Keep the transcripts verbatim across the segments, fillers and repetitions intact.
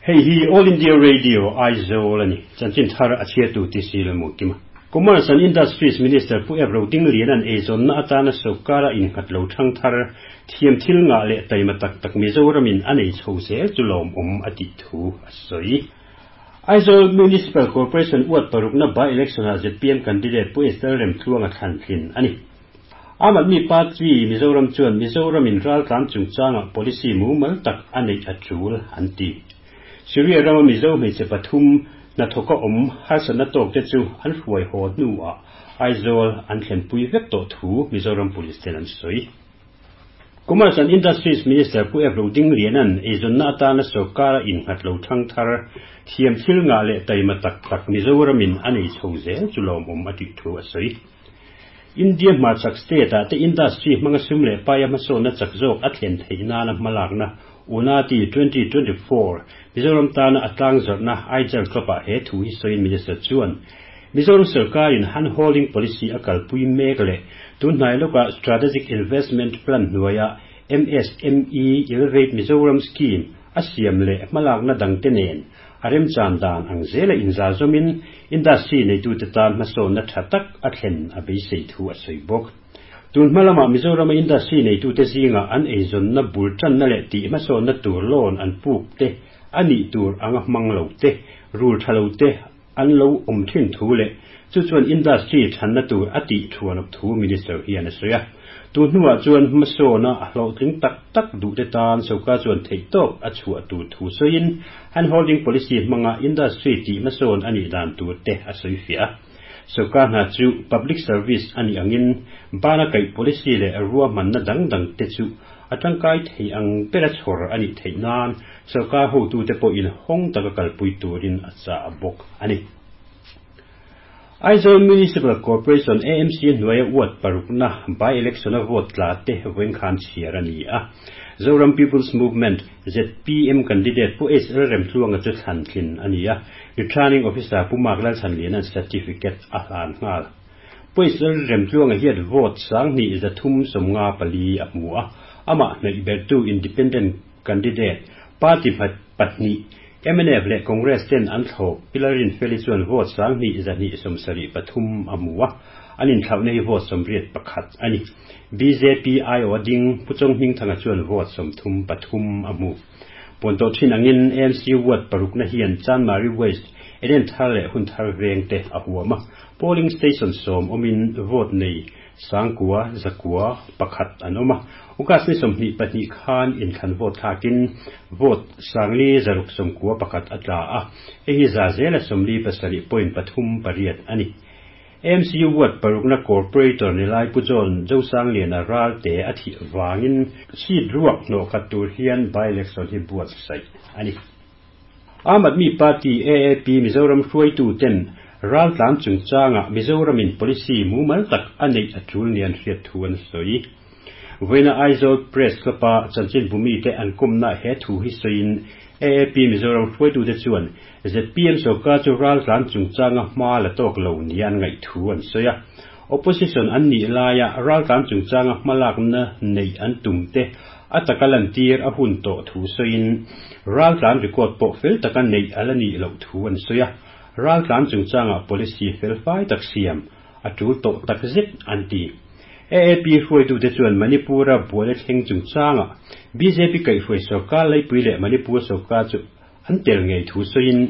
Hei hi All India Radio Aizawl ani chanchin thar a chhiatu ti sil mu kima Commerce and Industries Minister Pu F Rodinglian an eizawnna atana sawrkara innghat lo thang thar thiam thil nga leh taima tak tak Mizoramin a nei chho zel chu lawm awm a tih thu a sawi. Aizawl Municipal Corporation ward parukna by election ah Z P M candidate Pu Esther Remtluanga thlan tlin ani. Aam Aadmi Party Mizoram chuan Mizoramin raltlan chungchanga policy mumal tak a neih a tul an ti. Syria rama Mizo hmeichhe pathum hnathawka awm harsatna tawk te chu an hruai haw hnuah Aizawl an thlenpui vek tawh thu Mizoram Police ten an sawi. Commerce and Industries Minister Pu F Rodinglianan eizawnna atana sawrkara innghat lo thang thar thiam thil nga leh taima tak tak Mizoramin a nei chho zel chu lawm awm a tih thu a sawi. India hmarchhak state ah te industry hmanga sum leh paia hmasawnna chak zawk a thlen theih nana hmalakna Unnati twenty twenty-four Mizoram tana a tlang zawrhna Aijal Club ah he thu hi sawiin Minister chuan Mizoram sarkarin hand holding policy a kalpui mek leh tunhnai lawkah Strategic Investment Plan hnuaia M S M E Elevate Mizoram Scheme a siam leh hmalakna dangte nen a remchan dan ang zela inzar zawmin industry neitute tan hmasawnna tha tak a thlen a beisei thu a sawi bawk. Tun hmalama Mizorama industry neitute zinga an eizawnna bul tanna leh tih hmasawnna tur loan an puk te ani tur anga hmang lo te rul tha lo te an lo awm thin thu leh chu chuan industry thanna tur a tih thuan thu Minister hian a sawi a. Tu hnuah chuan hmasawna a hlawhtling tak tak duh te tan sawrkar chuan theih tawk a chhuah tur thu sawiin hand holding policy hmanga industry tih hmasawn anih dan tur te a sawi fiah a. Sawrkar hna chu public service ani angin bana kaih policy leh ruahmanna dang dang te chu a tangkai thei ang bera chhawr anih theih nan sawrkar hotute pawhin hawng taka kalpui turin a chah bawk ani. Aizawl Municipal Corporation A M C hnuaia ward parukna by election a vote tla te vawiin khan chhiar ani a. Zoram People's Movement Z P M candidate Pu S L Remtluanga chu thlan tlin ani a. Returning Officer Pu Mark Lalchhanlian an certificate a hlan nghal. Pu S L Remtluanga hian vote sanghnih zathum sawmnga pali a hmu a. Amah hnaih bertu independent candidate party pahnih M N F leh Congress ten an thlawp Pilarin Feli chuan vote sanghnih zahnih sawmsarih pathum a hmu a. An inthlauhna hi vote sawmriat pakhat ani. B J P aiawh a ding Pu Chonghmingthanga chuan vote sawmthum pathum a hmu. Puan tawh thin angin A M C ward parukna hian Chanmari West, Eden Thar leh Hunthar veng te a huam a. Polling station sawm awmin vote nei sangkua zakua pakhat an awm a. August ni sawmhnih pahnih khan inthlan vote thlakin vote sangli zaruk sawmkua pakhat a tla a. Hei hi za zela sawmli pasarih point pathum pariat ani. A M C ward parukna corporator nilai Pu John Zosangliana Ralte a thih wangin seat ruak hnawh khat tur hian by election hi buatsaih ani. Aam Aadmi Party A A P Mizoram hruaitu ten raltlan chungchanga Mizoramin policy mumal tak a neih a tul nian hriat thu an sawi. Vawiina Aizawl Press Club-a chanchin bumi te an kawmna he thu hi sawiin A A P Mizoram hruaitu te chuan Z P M sawrkar chu raltlan chungchanga hma la tawk lo nian ngaih thu an sawi a. Opposition an nih laia raltlan chungchanga hmalakna nei an tum te a taka lan tir a hun tawh thu sawiin raltlan record pawh fel taka neih ala nih loh thu an sawi a. Raltlan chungchanga policy fel fai tak siam a tul tawh tak zet an ti. A A P hruaitu te chuan Manipura buaina thleng chungchanga B J P kaihhruai sawrkar laipui leh Manipur sawrkar chu an tel ngei thu sawiin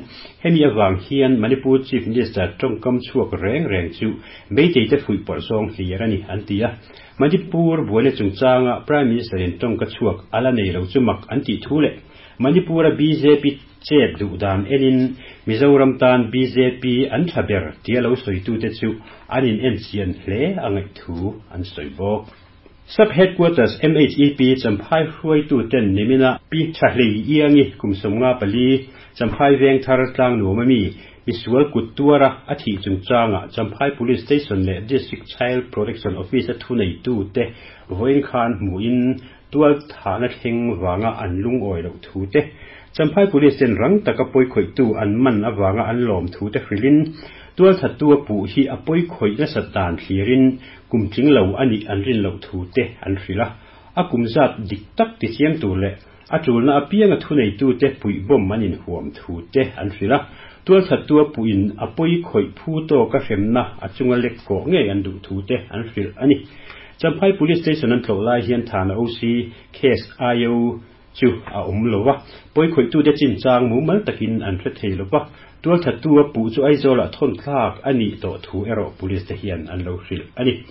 hemi awang hian Manipur Chief Minister tawngkam chhuak reng reng chu meitei te fuih pawrh zawng hlir ani an ti a. Manipur buaina chungchanga Prime Minister in tawngka chhuak ala nei lo chu mak an tih thu leh Manipura B J P chet duh dan enin Mizoram tan B J P an tha ber tia lo sawitu te chu an in en chian hle a ngaih thu an sawi bawk. Sub Headquarters M H E P Champhai hruaitu ten nimina Pi Thahlei Iangi kum sawmnga pali Champhai veng thar tlang nuam ami misual kut tuara a thih chungchanga Champhai Police Station leh District Child Protection Office a thu nei tu te vawiin khan hmuin tual thahna thleng wanga an lungawi loh thu te Champhai Police ten rang taka pawi khawih tu an man awanga an lawm thu te hrilin tual thattu a puh hi a pawi khawih nasa dan thlirin kum tling lo ani an rin loh thu te an hrila. A kum zat dik tak ti chiang tur leh A tulna apianga thunei tu te pui bom manin huam thu te an hrila tual thattua puin apoi khoi phu to ka hremna achunga lek ko nge an du thu te an hril ani. Champhai Police Station an thlolai hian thana O C case I O chu a um lowa poi khoi tu te chin chang mu mal takin an hre thei lowa tual thattua pu chu Aizawl a thon thlak ani to thu ero police te hian an lo hril ani.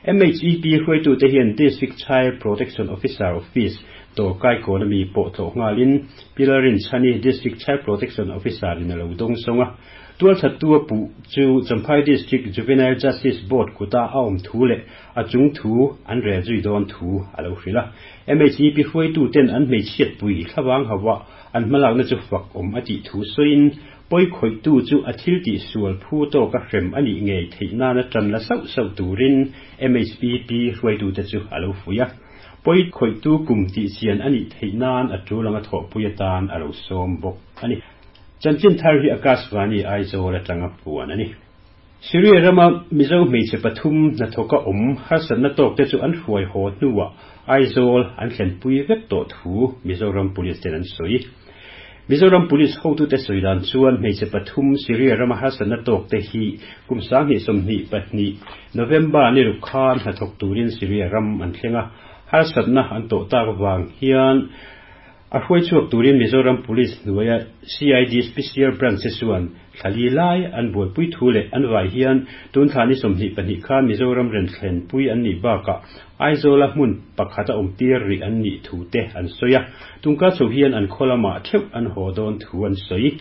M H E P hruai tu te hian District Child Protection Officer Office to kai ko na mi po tho ngalin Pilarin Chani District Child Protection Officer in lo dong songa tual thattua pu chu Champhai District Juvenile Justice Board kuta aom thu le achung thu an re zui don thu alo hrila. M H E P hruai tu ten an mei chiat pui thlawang hawa an malak na chu fak om ati thu soin poi khoi tu chu athil ti sual phu to ka hrem ani ngei theina na tran la sau sau turin M H E P hruai tu te chu alo fuya poi khoi tu kum ti chian ani theinan atulanga tho puiatan alo som bok ani. Chanchin thar hi Akashvani Aizawl atanga puan ani. Syria rama Mizo hmeichhe pathum na thoka om harsat na tok te chu an hruai ho hnuwa Aizawl an thlen pui vek to thu Mizoram Police ten an soi. Mizoram Police hotu te soidan chuan hmeichhe pathum Syria rama harsat na tok te hi kum sang hi somni patni November ni rukhan ha thok turin Syria ram an thlenga harsat na an to tak wang hian a hruai chuak turin Mizoram Police hnuaia C I D Special Branch chuan thlali lai an buai pui thu le an vai hian tun thlani somni pahnih khan Mizoram ren thlen pui an ni baka Aizawl a hmun pakhata awm tir ri an ni thu te an soya tungka chho hian an kholama theuh an haw dawn thu an soi.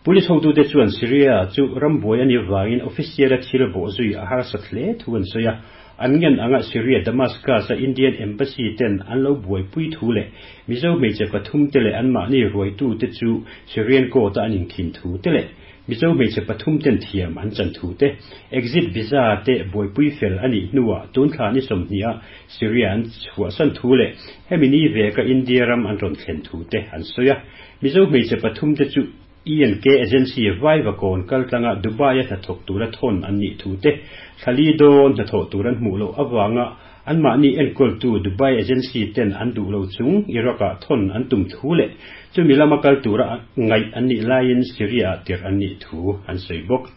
Police hotu te chuan Syria chu rambuai ani wangin official a thil bo zui a harsat hle thu an soya an ngen anga Syria Damascus a Indian Embassy ten an lo buai pui thu le Mizo hmeichhe pathum te le an mahni ruai tu te chu Syrian court a an inkhin thu te le Mizo hmeichhe pathum ten thiam an chan thu te exit visa te buai pui fel ani hnuwa tun thlani somhnia Syria an chhuah san thu le hemi ni ve ka India ram an rawn thlen thu te an soya Mizo hmeichhe pathum te chu E N K Agency vai kon kaltlanga Dubai a thok tura thon an ni thu te thlali don na tho turan hmu lo awanga an mahni enkol tu Dubai Agency ten an du lo chung Iraq a thon an tum thu le chumi lama kal tura ngai an ni lain Syria tir an ni thu an sei bok.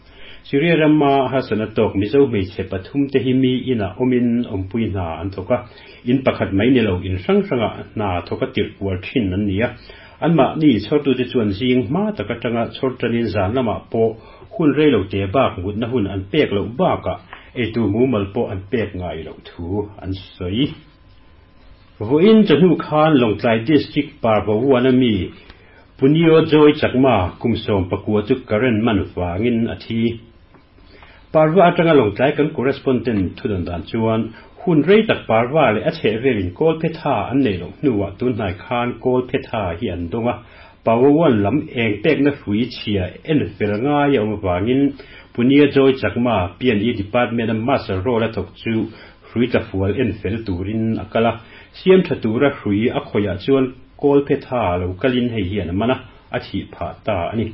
Syria rama hasana tok Mizo hmeichhe pathum te hi mi ina omin ompui na an thoka in pakhat mai ni lo in hrang hranga na thoka tir kual thin an nia an ma ni chhortu te chuan zing ma taka tanga chhor tanin zan lama po hun reilo te bak mut na hun an pek lo baka e tu mu mal po an pek ngai lo thu an soi. Voin chanu khan Lawngtlai District Parvawana mi Punio Joy Chakma kumsom pakua chu current man wangin athi Parva atanga Lawngtlai kan correspondent thudon dan chuan hun rei tak Parva le a chhe velin kol phetha an nei lo hnuwa tun hnai khan kol phetha hi an donga Pawawan lam eng pek na hrui chhia en fel ngai awm wangin Punia Joy Chakma P and E Department a master role a thawk chu hrui tlafual en fel turin a kala siam tha tura hrui a khoya chuan kol phetha lo kalin hei hian a mana a thi pha ta ani.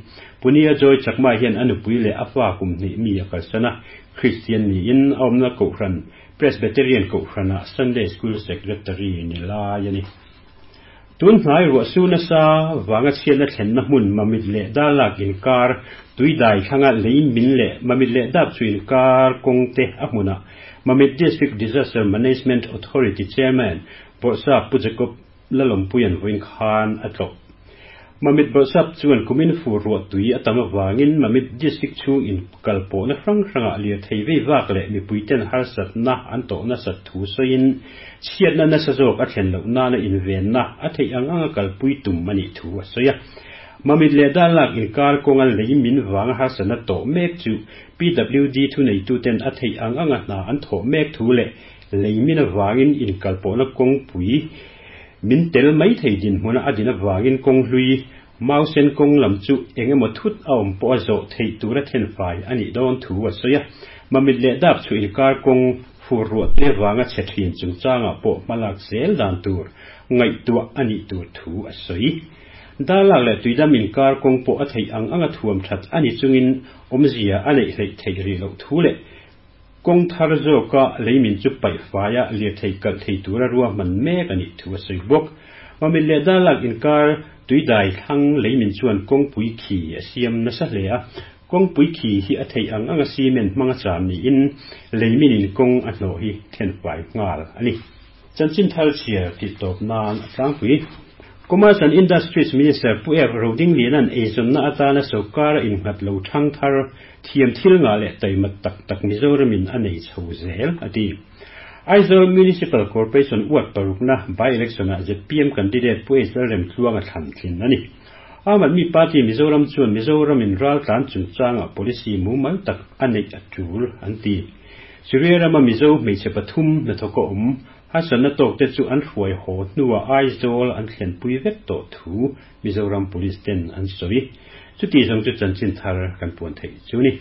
Punia Joy Chakma hian anupui le a fa kum hnih mi a kalsana Christian ni in a awmna kohhran Presbyterian kohhrana Sunday School Secretary ni lai ani. Tun hnai ruah su nasa wanga chhiatna thlenna hmun mamit leh dalak inkar tuidai thlanga lei min leh mamit leh dap chu inkar kawng te a hmuna Mamit District Disaster Management Authority Chairman Bawrhsap Pu Jacob Lalawmpuian vawiin khan a tlawh. Mamit Bawrhsap chuan kumin fu ruah tui a tam awangin Mamit District chu in kalpawh na hrang hranga lir thei vei vak leh mipui ten harsat na an tawh nasat thu sawiin chhiatna nasa zawk a thlen loh nana invenna a theih ang anga kalpui tum ani thu a sawi a. Mamit leh dalak inkar kawnga lei min wanga harsatna tawh mek chu P W D thu nei tu ten a theih ang anga hna an thawh mek thu leh lei min awangin inkalpawhna kawngpui min tel mai thei din hmuna a din awangin kawng hlui mausen kawng lam chu engemaw thut a awm pawh a zawh theih tura then fai ani dawn thu a sawi a. Mamit leh dap chu inkar kawng fur ruah te wanga chhe thin chungchangah pawh hmalak zel dan tur ngaihtuah ani tur thu a sawi. Dalak leh tuidam inkar kawng pawh a theih ang anga thuam that ani chungin awmzia a neih hleih theih ri loh thu leh kawng thar zawka leimin chu paih faia lir thei kalh thei tura ruahman mek ani thu a sawi bawk. Mamit leh Darlak inkar tuidai thlang leimin chuan kawngpui khi a siam nasa hle a, kawngpui khi hi a theih ang anga cement hmanga cham niin leimin in kawng a hnawh hi thenfai nghal a ni. Chanchin thar chhiar tih tawp nan a tlangpui. Commerce and Industries Minister Pu F Rodingliana'n eizawnna atana sawrkar a innghat lo thang thar thiam thil ngah leh taimat tak tak Mizoramin a nei chho zel a ti. Aizawl Municipal Corporation ward parukna by-election-ah Z P M candidate Pu H Lalremtluanga thlan tlin a ni. Aam Aadmi Party Mizoram chuan Mizoramin raltlan chungchanga policy mumal tak a neih a tul an ti. Syria rama Mizo hmeichhe pathum hnathawk a awm harsatna tawk te chu an hruai haw hnuah Aizawl an thlenpui vek tawh thu Mizoram Police ten an sawi. Chuti zawng chu chanchin thar kan puan theih chu ni.